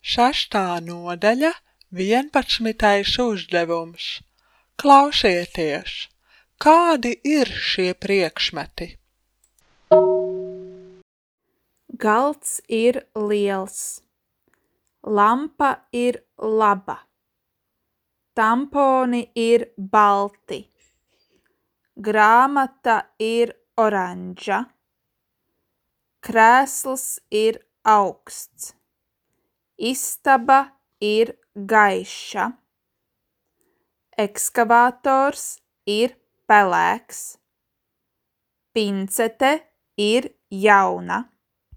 Sestā nodaļa, 11. uzdevums. Klausieties, kādi ir šie priekšmeti? Galds ir liels. Lampa ir laba. Tamponi ir balti. Grāmata ir oranža. Krēsls ir augsts. Istaba ir gaiša. Ekskavators ir pelēks. Pincete ir jauna.